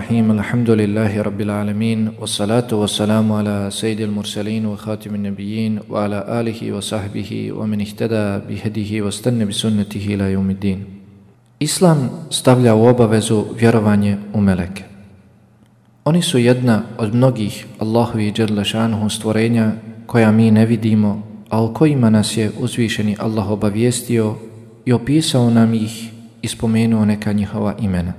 Bismillahirrahmanirrahim. Alhamdulillahi rabbil alamin. Wassalatu wassalamu ala sayyidil mursalin wa khatimin nabiyyin wa ala alihi wa sahbihi wa man ihtada bihadihi wa istanna bi sunnatihi ila yawmiddin. Islam stavlja u obavezu vjerovanje u meleke. Oni su jedna od mnogih Allahovih dželle šanuhu stvorenja koja mi ne vidimo, a o kojima nas je uzvišeni Allah obavijestio i opisao nam ih i spomenuo neka njihova imena.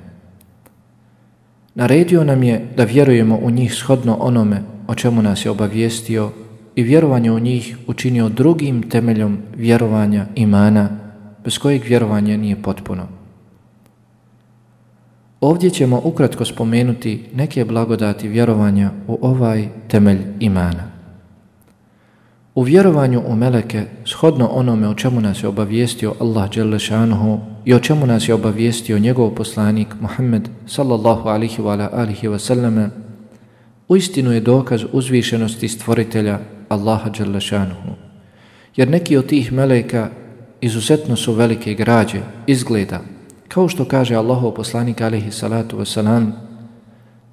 Naredio nam je da vjerujemo u njih shodno onome o čemu nas je obavijestio i vjerovanje u njih učinio drugim temeljom vjerovanja imana, bez kojeg vjerovanje nije potpuno. Ovdje ćemo ukratko spomenuti neke blagodati vjerovanja u ovaj temelj imana. U vjerovanju u meleke, shodno onome o čemu nas je obavijestio Allah dželle šanuhu i o čemu nas je obavijestio njegov poslanik Muhammed sallallahu alihi wa alihi wa sallame, uistinu je dokaz uzvišenosti stvoritelja Allaha dželle šanuhu. Jer neki od tih meleka izuzetno su velike građe, izgleda, kao što kaže Allahov poslanik alihi salatu wasalam,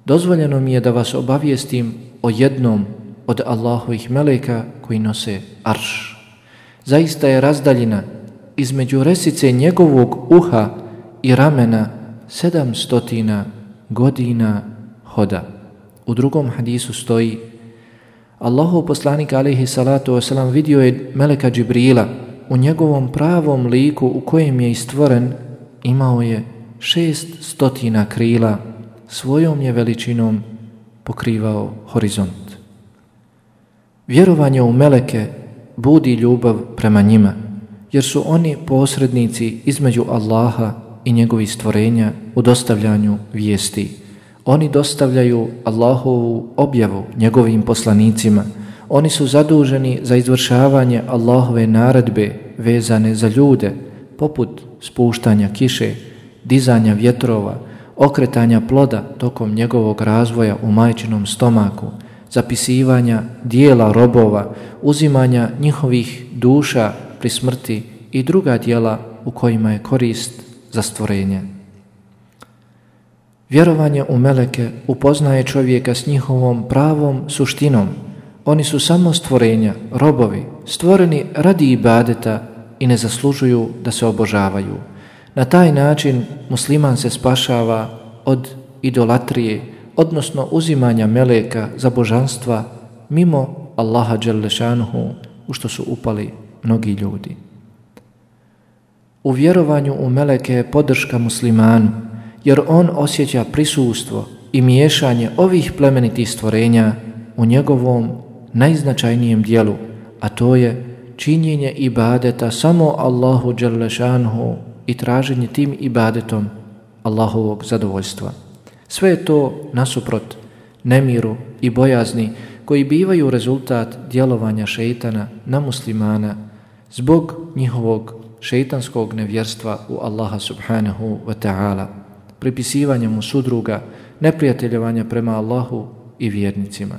dozvoljeno mi je da vas obavijestim o jednom od Allahovih meleka koji nose arš. Zaista je razdaljina između resice njegovog uha i ramena 700 godina hoda. U drugom hadisu stoji: Allahov poslanik alejhi salatu vesselam vidio je meleka Džibrila u njegovom pravom liku u kojem je stvoren, imao je 600 krila, svojom je veličinom pokrivao horizont. Vjerovanje u meleke budi ljubav prema njima, jer su oni posrednici između Allaha i njegovih stvorenja u dostavljanju vijesti. Oni dostavljaju Allahovu objavu njegovim poslanicima. Oni su zaduženi za izvršavanje Allahove naredbe vezane za ljude, poput spuštanja kiše, dizanja vjetrova, okretanja ploda tokom njegovog razvoja u majčinom stomaku, zapisivanja dijela robova, uzimanja njihovih duša pri smrti i druga dijela u kojima je korist za stvorenje. Vjerovanje u meleke upoznaje čovjeka s njihovom pravom suštinom. Oni su samo stvorenja, robovi, stvoreni radi ibadeta i ne zaslužuju da se obožavaju. Na taj način musliman se spašava od idolatrije, odnosno uzimanja meleka za božanstva mimo Allaha dželle šanuhu, u što su upali mnogi ljudi. U vjerovanju u meleke je podrška muslimanu, jer on osjeća prisustvo i miješanje ovih plemenitih stvorenja u njegovom najznačajnijem dijelu, a to je činjenje ibadeta samo Allahu dželle šanuhu i traženje tim ibadetom Allahovog zadovoljstva. Sve je to nasuprot nemiru i bojazni koji bivaju rezultat djelovanja šejtana na muslimana zbog njihovog šejtanskog nevjerstva u Allaha subhanahu wa ta'ala, pripisivanja mu sudruga, neprijateljevanja prema Allahu i vjernicima.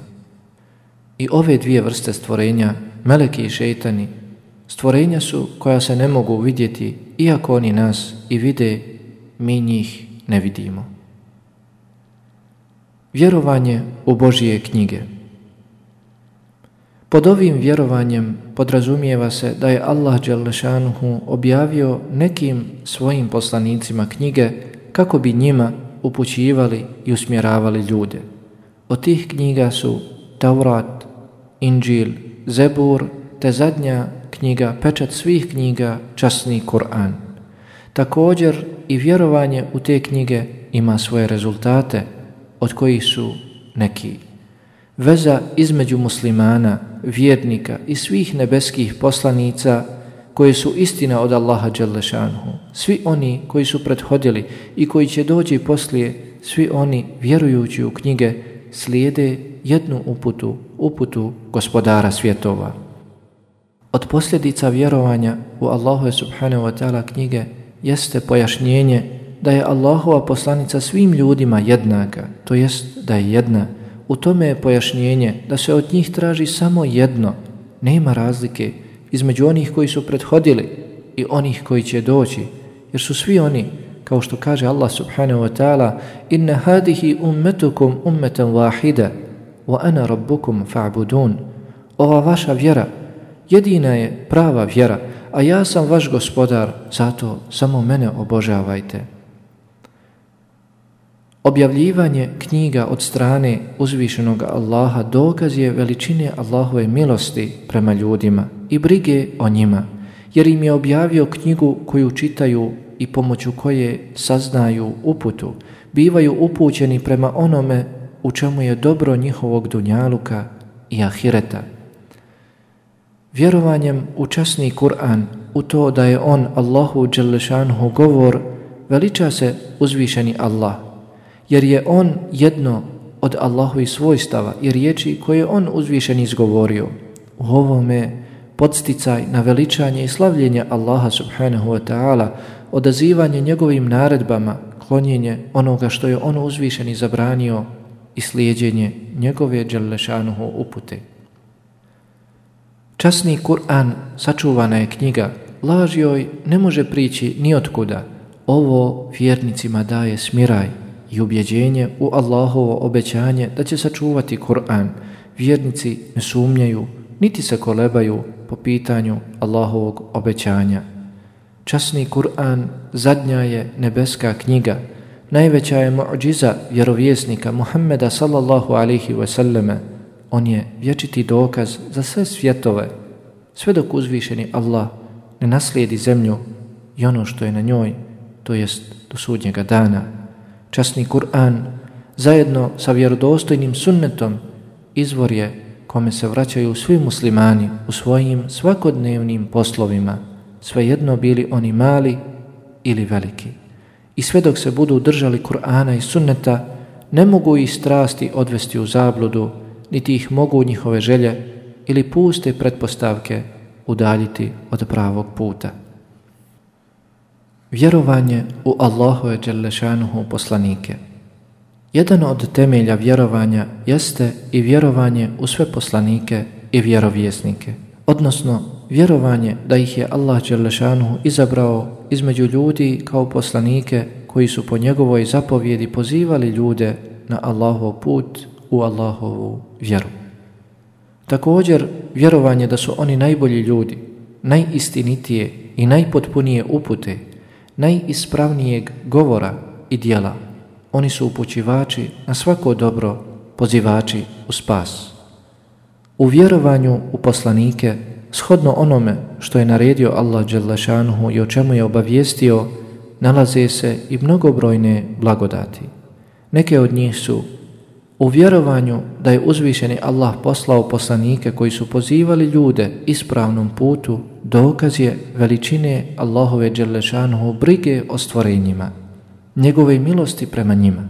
I ove dvije vrste stvorenja, meleki i šejtani, stvorenja su koja se ne mogu vidjeti, iako oni nas i vide, mi njih ne vidimo. Vjerovanje u Božije knjige. Pod ovim vjerovanjem podrazumijeva se da je Allah dželle šanuhu objavio nekim svojim poslanicima knjige kako bi njima upućivali i usmjeravali ljude. Od tih knjiga su Taurat, Inđil, Zebur te zadnja knjiga, pečat svih knjiga, časni Kur'an. Također i vjerovanje u te knjige ima svoje rezultate, od kojih su neki: veza između muslimana, vjernika i svih nebeskih poslanica koje su istina od Allaha dželle šanuhu. Svi oni koji su prethodili i koji će doći poslije, svi oni vjerujući u knjige slijede jednu uputu gospodara svjetova. Od posljedica vjerovanja u Allahove subhanahu wa ta'ala knjige jeste pojašnjenje da je Allahova poslanica svim ljudima jednaka, to jest da je jedna. U tome je pojašnjenje da se od njih traži samo jedno, nema razlike između onih koji su prethodili i onih koji će doći, jer su svi oni kao što kaže Allah subhanahu wa ta'ala: inna hadihi ummetukum ummeten wahida wa ana rabbukum fa'budun. Ova vaša vjera jedina je prava vjera, a ja sam vaš gospodar, zato samo mene obožavajte. Objavljivanje knjiga od strane uzvišenog Allaha dokaz je veličine Allahove milosti prema ljudima i brige o njima, jer im je objavio knjigu koju čitaju i pomoću koje saznaju uputu, bivaju upućeni prema onome u čemu je dobro njihovog dunjaluka i ahireta. Vjerovanjem u časni Kur'an, u to da je on Allahu dželle šanuhu govor, veliča se uzvišeni Allah, jer je on jedno od Allahovih svojstava i riječi koje on uzvišen izgovorio. U ovome podsticaj na veličanje i slavljenje Allaha subhanahu wa ta'ala, odazivanje njegovim naredbama, klonjenje onoga što je on uzvišeni zabranio i slijeđenje njegove dželle šanuhu upute. Časni Kur'an sačuvana je knjiga, laž joj ne može prići ni otkuda. Ovo vjernicima daje smiraj i ubjeđenje u Allahovo obećanje da će sačuvati Kur'an. Vjernici ne sumnjaju niti se kolebaju po pitanju Allahovog obećanja. Časni Kur'an zadnja je nebeska knjiga, najveća je mu'džiza vjerovjesnika Muhammeda sallallahu alaihi wa sallame. On je vječiti dokaz za sve svjetove, sve dok uzvišeni Allah ne naslijedi zemlju i ono što je na njoj, to jest do sudnjega dana. Časni Kur'an zajedno sa vjerodostojnim sunnetom izvor je kome se vraćaju svi muslimani u svojim svakodnevnim poslovima, svejedno bili oni mali ili veliki. I sve dok se budu držali Kur'ana i sunneta, ne mogu ih strasti odvesti u zabludu, niti ih mogu njihove želje ili puste pretpostavke udaljiti od pravog puta. Vjerovanje u Allahove dželle šanuhu poslanike. Jedan od temelja vjerovanja jeste i vjerovanje u sve poslanike i vjerovjesnike, odnosno vjerovanje da ih je Allah dželle šanuhu izabrao između ljudi kao poslanike koji su po njegovoj zapovjedi pozivali ljude na Allahov put, u Allahovu vjeru. Također, vjerovanje da su oni najbolji ljudi, najistinitije i najpotpunije upute, najispravnijeg govora i djela. Oni su upućivači na svako dobro, pozivači u spas. U vjerovanju u poslanike, shodno onome što je naredio Allah dželle šanuhu i o čemu je obavijestio, nalaze se i mnogobrojne blagodati. Neke od njih su u vjerovanju da je uzvišeni Allah poslao poslanike koji su pozivali ljude ispravnom putu, dokaz je veličine Allahove dželle šanuhu brige o stvorenjima, njegove milosti prema njima.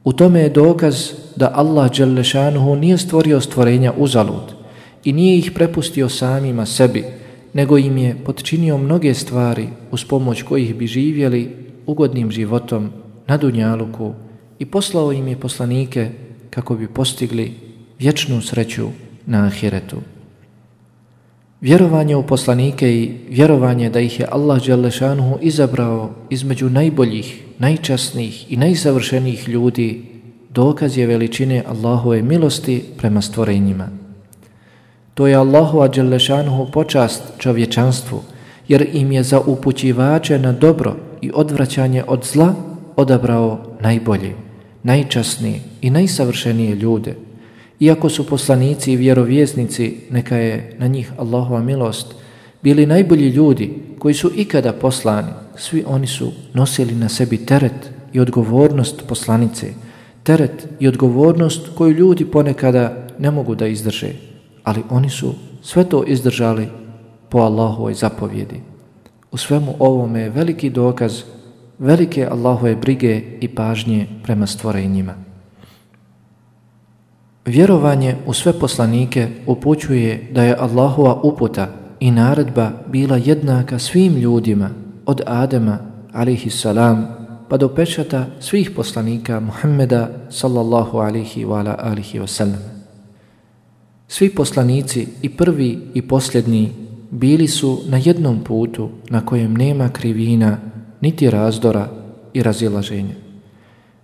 U tome je dokaz da Allah dželle šanuhu nije stvorio stvorenja uzalud i nije ih prepustio samima sebi, nego im je potčinio mnoge stvari uz pomoć kojih bi živjeli ugodnim životom na dunjaluku i poslao im je poslanike kako bi postigli vječnu sreću na ahiretu. Vjerovanje u poslanike i vjerovanje da ih je Allah dželle šanuhu izabrao između najboljih, najčasnijih i najsavršenijih ljudi dokaz je veličine Allahove milosti prema stvorenjima. To je Allahova dželle šanuhu počast čovječanstvu, jer im je za upućivače na dobro i odvraćanje od zla odabrao najbolje, najčasnije i najsavršenije ljude. Iako su poslanici i vjerovjesnici, neka je na njih Allahova milost, bili najbolji ljudi koji su ikada poslani, svi oni su nosili na sebi teret i odgovornost poslanice, teret i odgovornost koju ljudi ponekada ne mogu da izdrže, ali oni su sve to izdržali po Allahovoj zapovjedi. U svemu ovome je veliki dokaz velike Allahove brige i pažnje prema stvorenjima. Vjerovanje u sve poslanike upućuje da je Allahova uputa i naredba bila jednaka svim ljudima od Adema alejhi salam pa do pečata svih poslanika Muhammeda sallallahu alejhi wa alihi wasallam. Svi poslanici, i prvi i posljednji, bili su na jednom putu na kojem nema krivina, niti razdora, i razilaženja.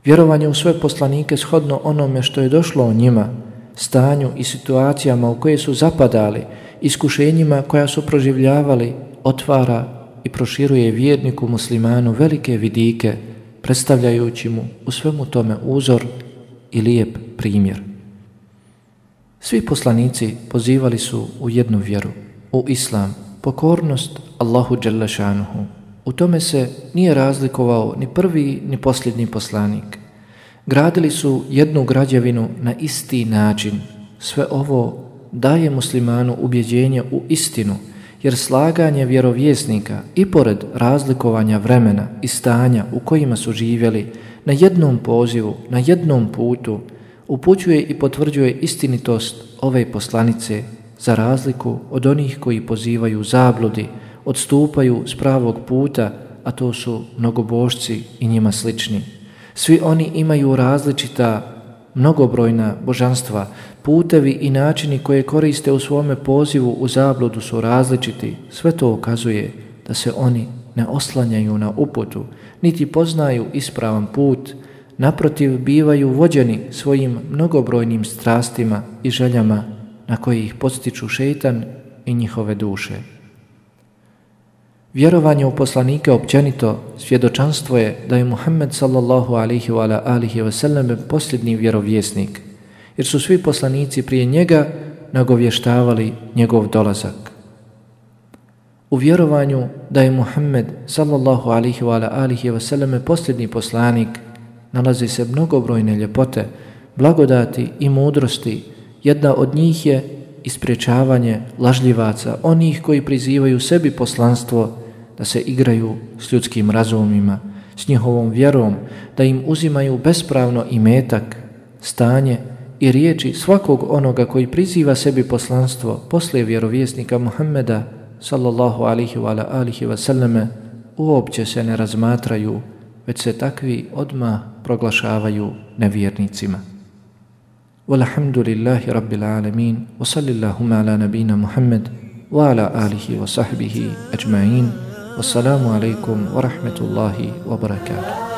Vjerovanje u sve poslanike shodno onome što je došlo o njima, stanju i situacijama u koje su zapadali, iskušenjima koja su proživljavali, otvara i proširuje vjerniku muslimanu velike vidike, predstavljajući mu u svemu tome uzor i lijep primjer. Svi poslanici pozivali su u jednu vjeru, u islam, pokornost Allahu dželle šanuhu. U tome se nije razlikovao ni prvi ni posljednji poslanik. Gradili su jednu građevinu na isti način. Sve ovo daje muslimanu ubjeđenje u istinu, jer slaganje vjerovjesnika i pored razlikovanja vremena i stanja u kojima su živjeli na jednom pozivu, na jednom putu, upućuje i potvrđuje istinitost ove poslanice za razliku od onih koji pozivaju zabludi, odstupaju s pravog puta, a to su mnogobožci i njima slični. Svi oni imaju različita, mnogobrojna božanstva, putevi i načini koje koriste u svome pozivu u zabludu su različiti. Sve to ukazuje da se oni ne oslanjaju na uputu, niti poznaju ispravan put, naprotiv bivaju vođeni svojim mnogobrojnim strastima i željama na koje ih podstiču šejtan i njihove duše. Vjerovanje u poslanike općenito svjedočanstvo je da je Muhammed sallallahu alaihi wa sallam posljednji vjerovjesnik, jer su svi poslanici prije njega nagovještavali njegov dolazak. U vjerovanju da je Muhammed sallallahu alaihi wa sallam posljednji poslanik nalazi se mnogobrojne ljepote, blagodati i mudrosti. Jedna od njih je ispriječavanje lažljivaca, onih koji prizivaju sebi poslanstvo, da se igraju s ljudskim razumima, s njihovom vjerom, da im uzimaju bespravno imetak, stanje i riječi svakog onoga koji priziva sebi poslanstvo poslije vjerovjesnika Muhammeda sallallahu alaihi wa sallame uopće se ne razmatraju, već se takvi odmah proglašavaju nevjernicima. Walhamdulillahi rabbil alamin, wa sallillahuma ala nabina Muhammed wa ala alihi wa sahbihi ajma'in. Wassalamu alaikum wa rahmetullahi wa barakatuh.